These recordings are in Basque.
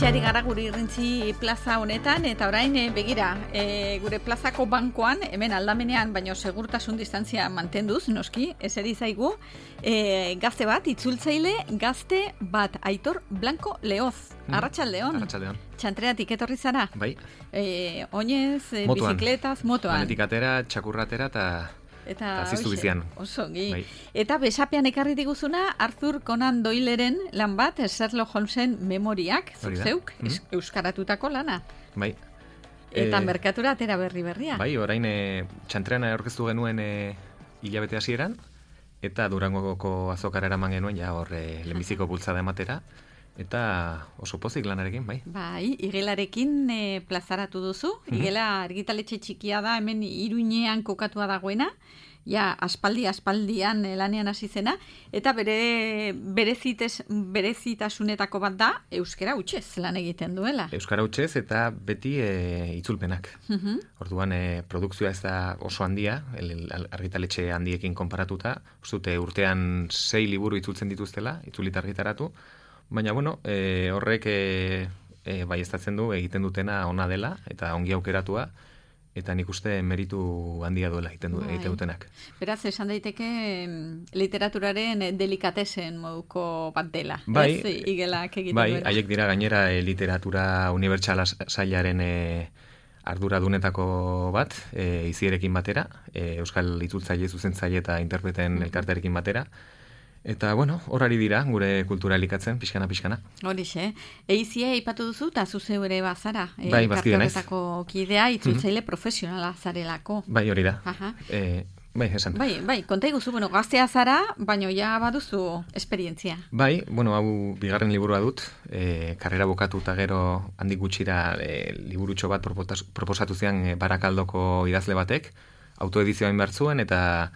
Hementxeari gara gure irrintzi plaza honetan, eta orain begira, gure plazako bankoan, hemen aldamenean, baino segurtasun distantzia mantenduz, noski, eseri zaigu, gazte bat, itzultzaile gazte bat, Aitor Blanco Leoz. Arratsaldeon. Arratsaldeon. Txantreatik etorri zara? Bai. Oinez, bizikletaz, motoan. Lanetik atera, txakurratera eta ziztu bizian. Oso, bai. Eta besapean ekarri diguzuna Arthur Conan Doyleren lan bat, Sherlock Holmesen memoriak, zeuk, euskaratutako lana. Bai. Eta merkatura atera berria. Bai, orain txantrean aurkeztu genuen hilabete hasieran, eta Durangoko azokara eraman genuen, ja hor lehenbiziko bultzada ematera, eta oso pozik lanarekin, bai. Bai, igelarekin plazaratu duzu. Igela argitaletxe txikia da, hemen Iruinean kokatua dagoena, ja aspaldian lanean hasi zena, eta berezitasunetako bat da, euskara hutsez lan egiten duela. Euskara hutsez eta beti itzulpenak. Orduan, produkzioa ez da oso handia, argitaletxe handiekin konparatuta, uste urtean 6 liburu itzultzen dituztela, itzulita argitaratu, baina, horrek baieztatzen du egiten dutena ona dela, eta ongi aukeratua, eta nik uste meritu handia duela egiten dutenak. Beraz, esan daiteke literaturaren delikatesen moduko bat dela. Bai, igelak egiten bai, duela. haiek dira gainera literatura unibertsala sailaren arduradunetako bat, izierekin batera, euskal itzultzaile, zuzentzaile eta interpreten elkartearekin batera. Eta, horari dira, gure kultura elikatzen, pixkana. Horixe, eizia aipatu duzu, eta zuzeu ere bazara. Bai, bazkide naiz. Elkarteetako kidea, itzultzaile profesionala zarelako. Bai, hori da. Bai, esan. Bai, konta iguzu, gaztea zara, baino ja baduzu esperientzia. Bai, hau bigarren liburua dut, karrera bukatu eta gero handik gutxira liburutxo bat proposatu zian Barakaldoko idazle batek, autoedizioa behar zuen, eta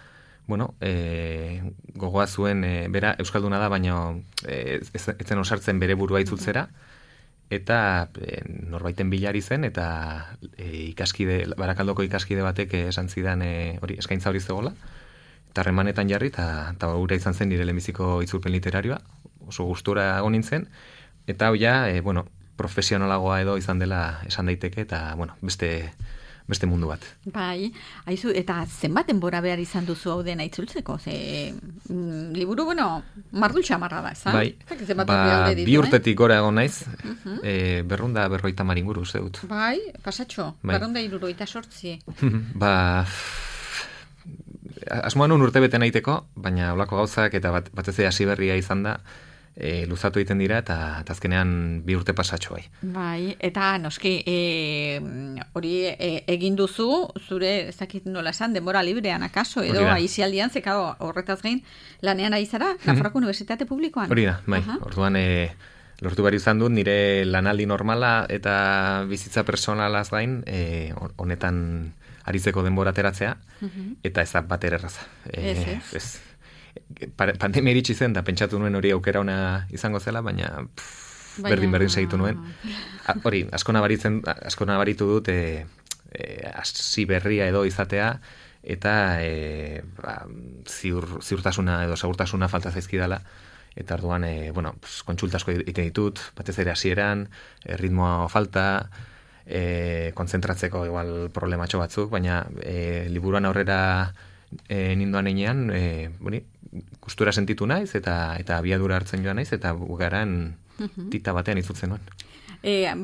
gogoa zuen, bera euskalduna da, baina etzen osartzen bere burua itzultzera, eta norbaiten bilari zen, eta Barakaldoko ikaskide batek esan zidan eskaintza hori zegoela, eta harremanetan jarri, eta gura izan zen nire lehenbiziko itzulpen literarioa, oso gustura egon nintzen, eta profesionalagoa edo izan dela esan daiteke, eta beste mundu bat. Bai, haizu, eta zenbat denbora behar izan duzu hau dena itzultzeko? Liburu, mardul txamarra da, ezan? Bai, 2 urtetik gora egon naiz, 250 inguru, uste dut. Bai, pasatxo, 278. Asmoan urte bete nahiteko, baina olako gauzak eta batez hasi berria izan da, luzatu egiten dira, eta azkenean 2 urte pasatxo bai. Bai, eta noski, hori egin duzu, zure, ez dakit nola esan, denbora librean akaso, edo aizialdian, zekado horretaz gain, lanean ari zara, Nafarroako Unibertsitate Publikoan. Hori da, bai, orduan lortu behar izan dut, nire lanaldi normala eta bizitza personalaz gain, honetan aritzeko denbora ateratzea, eta ez da bat erraza. Ez. Pandemia iritsi zen, da pentsatu nuen hori aukera ona izango zela, baina berdin segitu nuen. Hori, asko nabaritu dut hasi berria edo izatea, eta ziurtasuna edo segurtasuna falta zaizkidala, eta orduan, kontsulta asko egiten ditut, batez ere hasieran, ritmoa falta, kontzentratzeko igual problematxo batzuk, baina liburuan aurrera ninduan einean, gustura sentitu naiz, eta abiadura hartzen joan naiz, eta bugaran tita batean itzultzen nuen.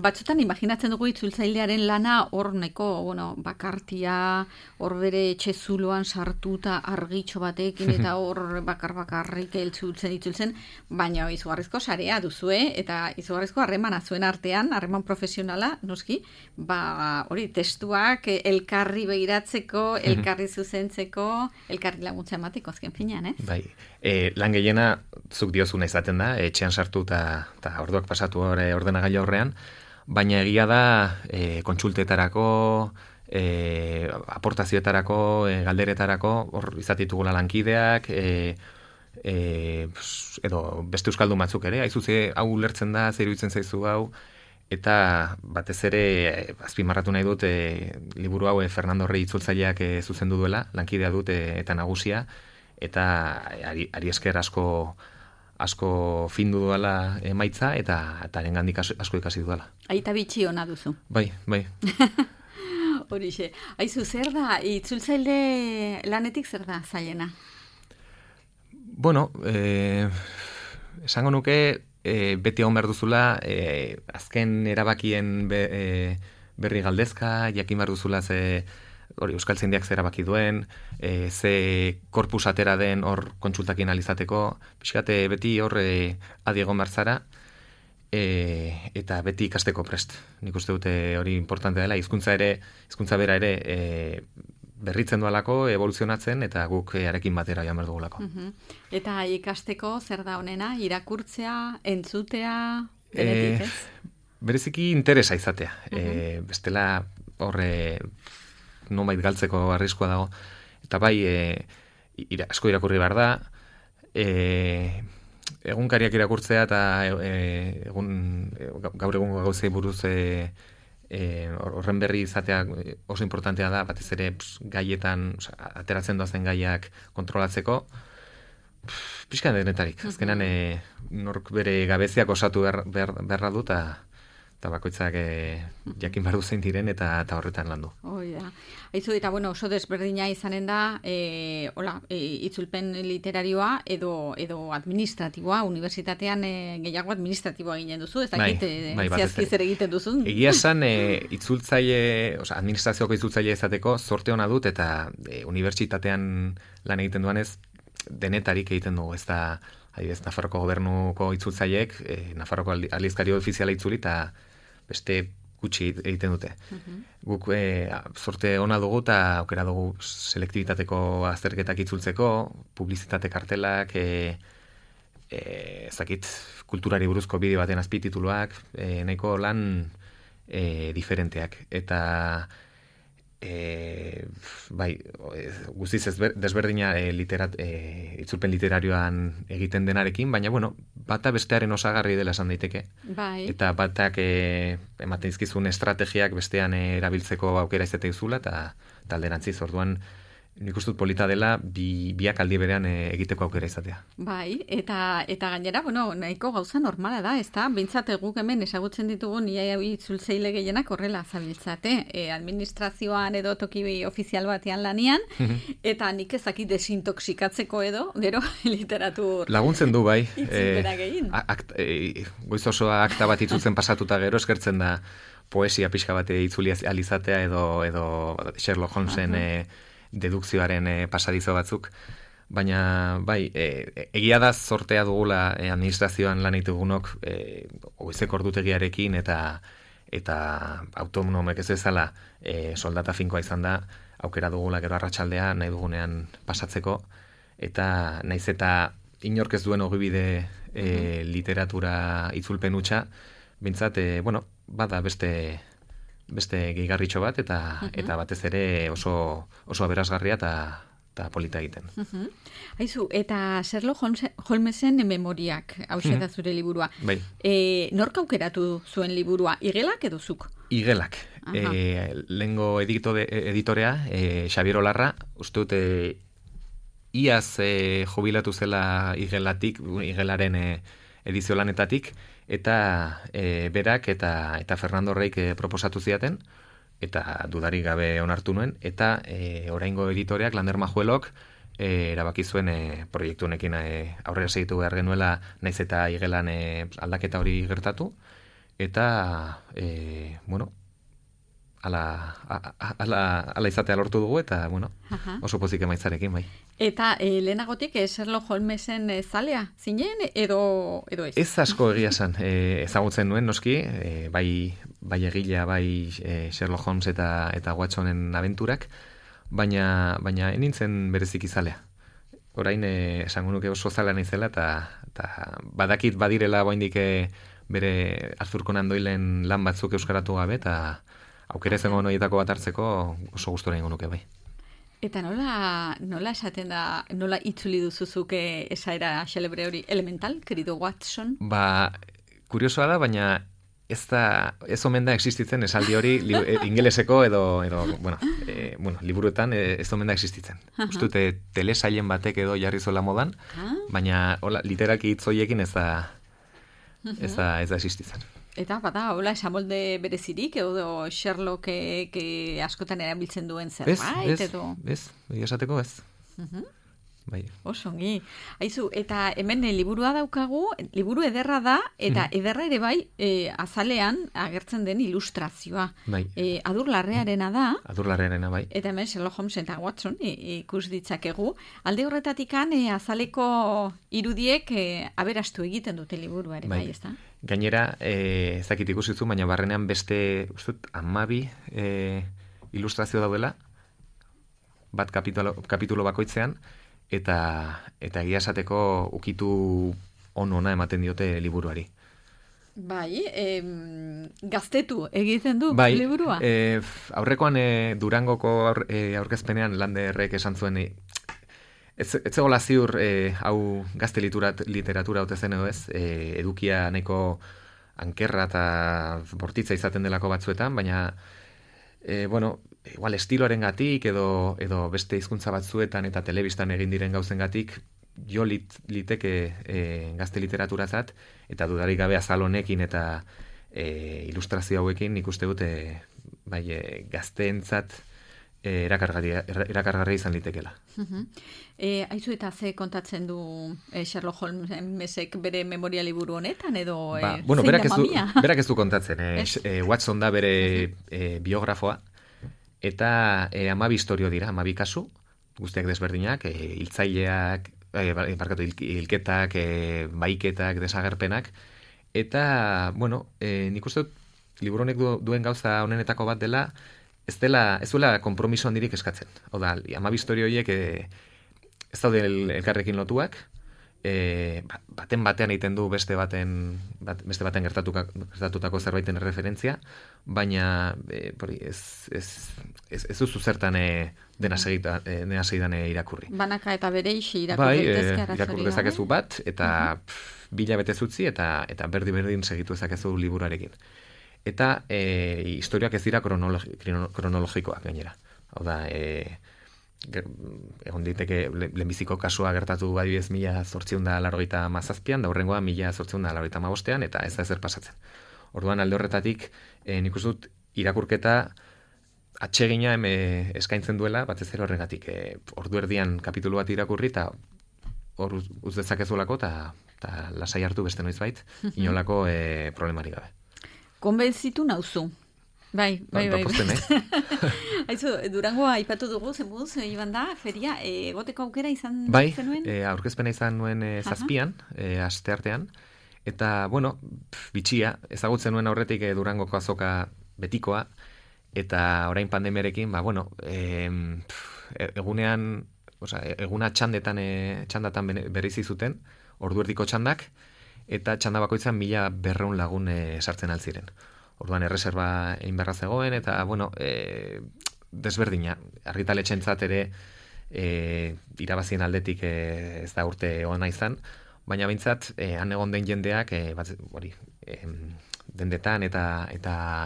Batzutan imaginatzen dugu itzultzailearen lana hor neko, bakartia, hor bere etxezuloan sartuta argitxo batekin, eta hor bakarrik itzultzen, baina izugarrizko sarea duzue, eta izugarrizko harremana zuen artean, harreman profesionala, noski, hori testuak elkarri begiratzeko, elkarri zuzentzeko, elkarri laguntza emateko azken finean, ez? Bai, lan gehiena zuk diozuna izaten da, etxean sartu eta orduak pasatu ordenagailu aurrean, baina egia da kontsultetarako, aportazioetarako, galderetarako, hor izatitugula lankideak, edo beste euskaldun batzuk ere, aizuze hau ulertzen da, zer iruditzen zaizu hau, eta batez ere azpimarratu nahi dut liburu hau Fernando Rey itzultzaileak zuzendu duela, lankidea dut eta nagusia, eta ari esker asko asko findu duela emaitza, eta arengandik asko ikasi duela. Aita bitxi ona duzu. Bai. Horixe. Aizu, zer da, itzultzaile lanetik zer da zailena? Bueno, esango nuke, beti egon behar duzula, azken erabakien berri galdezka, jakin behar duzula hori euskaltzaindiak zer erabaki duen, ze korpus atera den hor kontsultakin alizateko, pixkate beti hor adi egon behar zara, eta beti ikasteko prest. Nik uste dute hori importante dela, hizkuntza bera ere berritzen dualako, evoluzionatzen, eta guk arekin batera joan behar dugulako. Eta ikasteko zer da honena, irakurtzea, entzutea, benetik ez? Bereziki interesa izatea. Bestela horre nonbait galtzeko arriskua dago. Eta bai, asko irakurri behar da, egunkariak irakurtzea eta gaur egungo gauzei buruz horren berri izatea oso importantea da, batez ere gaietan, ateratzen doazen gaiak kontrolatzeko, pixka denetarik. Azkenan nork bere gabeziak osatu beharra du, eta bakoitzak jakin behar duzen diren eta horretan landu. Aizu, eta oso desberdina izanen da itzulpen literarioa edo administratiboa, unibertsitatean gehiago administratiboa egiten duzu, ez dakit zehazki zer egiten duzun? Egia esan, administrazioko itzultzaile izateko zorte ona dut, eta unibertsitatean lan egiten duanez denetarik egiten dugu, ez da adibidez, Nafarroko gobernuko itzultzaileek, Nafarroko aldizkari ofiziala itzuli, eta beste gutxi egiten dute. Guk zorte ona dugu eta aukera dugu selektibitateko azterketak itzultzeko, publizitate kartelak, ezakit, kulturari buruzko bideo baten azpitituluak, nahiko lan diferenteak. Eta bai, guztiz desberdina itzulpen literarioan egiten denarekin, baina bata bestearen osagarri dela esan daiteke. Bai. Eta batak ematen dizkizun estrategiak bestean erabiltzeko aukera izate duzula, eta alderantziz, orduan nik uste dut polita dela biak aldi berean egiteko aukera izatea. Bai, eta gainera, nahiko gauza normala da, ezta? Behintzat guk hemen ezagutzen ditugun ia itzultzaile gehienak horrela zabiltzate, administrazioan edo toki ofizial batean lanian, eta nik ezakit desintoxikatzeko edo, gero literatur laguntzen du, bai. Itzulpenak egin. Goiz osoa akta bat itzultzen pasatuta gero eskertzen da poesia pixka bat itzuli alizatea edo Sherlock Holmesen dedukzioaren pasadizo batzuk, baina bai, egia da zortea dugula administrazioan lan ditugunok goizeko ordutegiarekin eta autonomek ez ezala soldata finkoa izan da, aukera dugula gero arratsaldea nahi dugunean pasatzeko, eta naiz eta inork ez duen ogibide literatura itzulpen hutsa, bintzat, bada beste gehigarritxo bat, eta batez ere oso aberasgarria eta polita egiten. Aizu, eta Sherlock Holmesen memoriak, hauxe da zure liburua. Bai. Nork aukeratu zuen liburua, Igelak edo zuk? Igelak. Lehengo editorea, Xabier Olarra, uste dute iaz jubilatu zela Igelaren edizio lanetatik, eta berak eta Fernando Reik proposatu ziaten, eta dudarik gabe onartu nuen, eta oraingo editoreak, Lander Majuelok, erabaki zuen proiektu honekin aurrera segitu behar genuela, naiz eta Igelan aldaketa hori gertatu, eta ala izatea lortu dugu, eta oso pozik emaitzarekin, bai. Eta lehenagotik Sherlock Holmesen zalea zinen edo ez? Ez asko egia esan, ezagutzen nuen noski, bai egilea, bai Sherlock Holmes eta Watsonen abenturak, baina enintzen bereziki zalea. Orain esango nuke oso zalea naizela, eta badakit badirela oraindik bere Arthur Conan Doylen lan batzuk euskaratu gabe, eta aukera izango noietako bat hartzeko oso gustora egingo nuke, bai. Eta nola esaten da, nola itzuli duzuzuke esaera xelebre hori, elemental, querido Watson? Kuriosoa da, baina ez omen da existitzen esaldi hori ingeleseko edo liburuetan ez omen da existitzen. Uste dute telesailen batek edo jarri zola modan, baina literalki hitz horiekin ez da existitzen. Eta bada, hola, esamolde berezirik, edo Sherlock askotan erabiltzen duen zerbait, edo? Ez, esateko ez. Bai. Osongi. Aizu, eta hemen liburua daukagu, liburu ederra da, eta ederra ere bai, azalean agertzen den ilustrazioa. Bai. Adurlarrearena da. Adurlarrearena, bai. Eta hemen Sherlock Holmes eta Watson ikus ditzakegu. Alde horretatikan azaleko irudiek aberastu egiten dute liburua ere bai, ezta? Gainera, ezakit ikusizu, baina barrenean beste, ustut, 12 ilustrazio daudela, bat kapitulo bakoitzean, eta egia esateko ukitu ona ematen diote liburuari. Bai, gaztetu egiten du liburua? Bai, aurrekoan Durangoko aurkezpenean Landerrek esan zuen, ez zegoela ziur hau gazte literatura ote zen edo ez, edukia nahiko ankerra eta bortitza izaten delako batzuetan, baina igual estiloarengatik edo beste hizkuntza batzuetan eta telebistan egin diren gauzengatik jo liteke gazte literaturatzat, eta dudarik gabe azal honekin eta ilustrazio hauekin ikuste dute gazteentzat erakargarria izan litekela. Aizu eta ze kontatzen du Sherlock Holmesek bere memoria liburu honetan, edo zein da mamia? Berak ez du kontatzen. Watson da bere biografoa, eta 12 istorio dira, 12 kasu, guztiak desberdinak, hiltzaileak, hilketak, baiketak, desagerpenak, eta, nik uste dut, liburu honek duen gauza honenetako bat dela, ez duela konpromiso handirik eskatzen. Hau da, 12 istorio horiek ez daude elkarrekin lotuak, batean egiten du beste baten gertatutako zerbaiten referentzia, baina ez duzu zertan dena segidan irakurri. Banaka eta bere isi irakurri daitezke arazorik. Irakurri dezakezu bat, eta 2 hilabete utzi, eta berdin segitu dezakezu liburuarekin. Eta historiak ez dira kronologikoak gainera. Hau da, egon diteke lehenbiziko kasua gertatu badibidez 1897an, da horrengoa 1895an, eta ez da ezer pasatzen. Orduan alde horretatik, nik uste dut irakurketa atsegina eskaintzen duela, batez ere horregatik. Ordu erdian kapitulu bat irakurri, eta hor uz dezakezulako, eta lasai hartu beste noizbait, inolako problemarik gabe. Konbentzitu nauzu. Bai. Aizu, Durangoa aipatu dugu, zenbuz, iban da, feria, egoteko aukera izan zenuen? Bai, aurkezpena izan nuen 7an, asteartean, eta, bitxia, ezagutzen nuen aurretik Durangoko azoka betikoa, eta orain pandemiarekin, egunean, eguna txandatan bereizi zuten, orduerdiko txandak, eta txanda bakoitzan 1200 lagun sartzen altziren. Orduan erreserba egin beharra zegoen, eta, desberdina, argitaletxentzat ere irabazien aldetik ez da urte ona izan, baina behintzat, han egon den jendeak, dendetan eta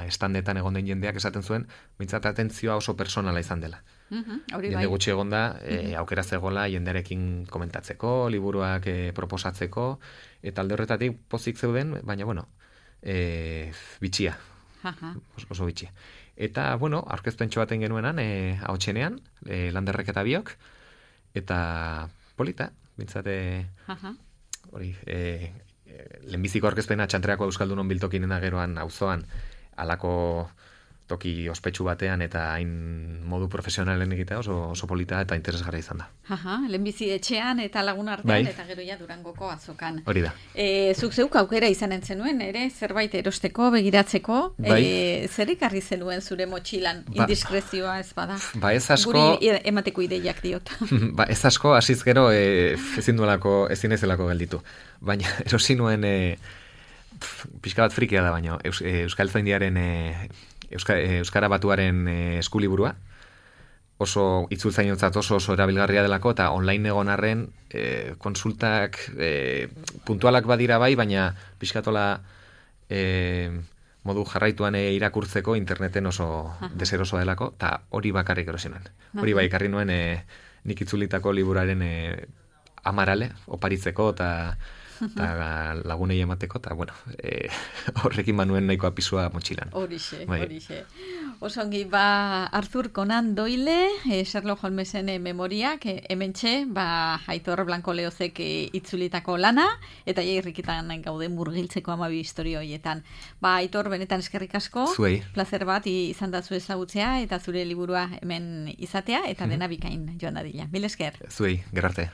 estandetan egon den jendeak esaten zuen, behintzat atentzioa oso personala izan dela. Jende gutxi egon da, aukera zegoela jendearekin komentatzeko, liburuak proposatzeko, eta alde horretatik pozik zeuden, baina, bitxia. Oso bitxia. Eta, aurkezpentxo baten genuenan, ahotsenean, Landerrek eta biok, eta polita, bintzate, lehenbiziko aurkezpena txantreako Euskaldunon biltokinen geroan auzoan halako toki ospetsu batean eta hain modu profesionalen egitea oso polita eta interesgarria izan da. Lehenbizi etxean eta lagun artean eta gero ja Durangoko azokan. Hori da. Zuk zeuk aukera izanen zenuen, ere, zerbait erosteko, begiratzeko, zer ekarri zenuen zure motxilan, indiskrezioa ez bada? Ez asko... Guri emateko ideiak diot. Ez asko, hasiz gero ezin ezelako gelditu. Baina erosi nuen pixka bat frikia da, baina Euskaltzaindiaren Euskara Batuaren eskuliburua, oso itzultzainotzat oso erabilgarria delako, eta online egon arren konsultak puntualak badira bai, baina pixkatola modu jarraituan irakurtzeko interneten oso deserosoa delako, eta hori bakarrik erosi nuen. Hori bai ekarri nuen nik itzulitako liburaren amarale, oparitzeko, eta lagunei emateko, eta bueno, horrekin manuen nahiko apisua motxilan. Horixe. Osongi, Arthur Conan Doyle, Sherlock Holmesen memoriak, hementxe, Aitor Blanco Leozek itzulitako lana, eta irrikitan gaude murgiltzeko 12 historio horietan. Aitor, benetan eskerrik asko, zuei. Plazer bat izan da zu ezagutzea, eta zure liburua hemen izatea, eta dena bikain joan dadila. Mil esker. Zuei, gerarte.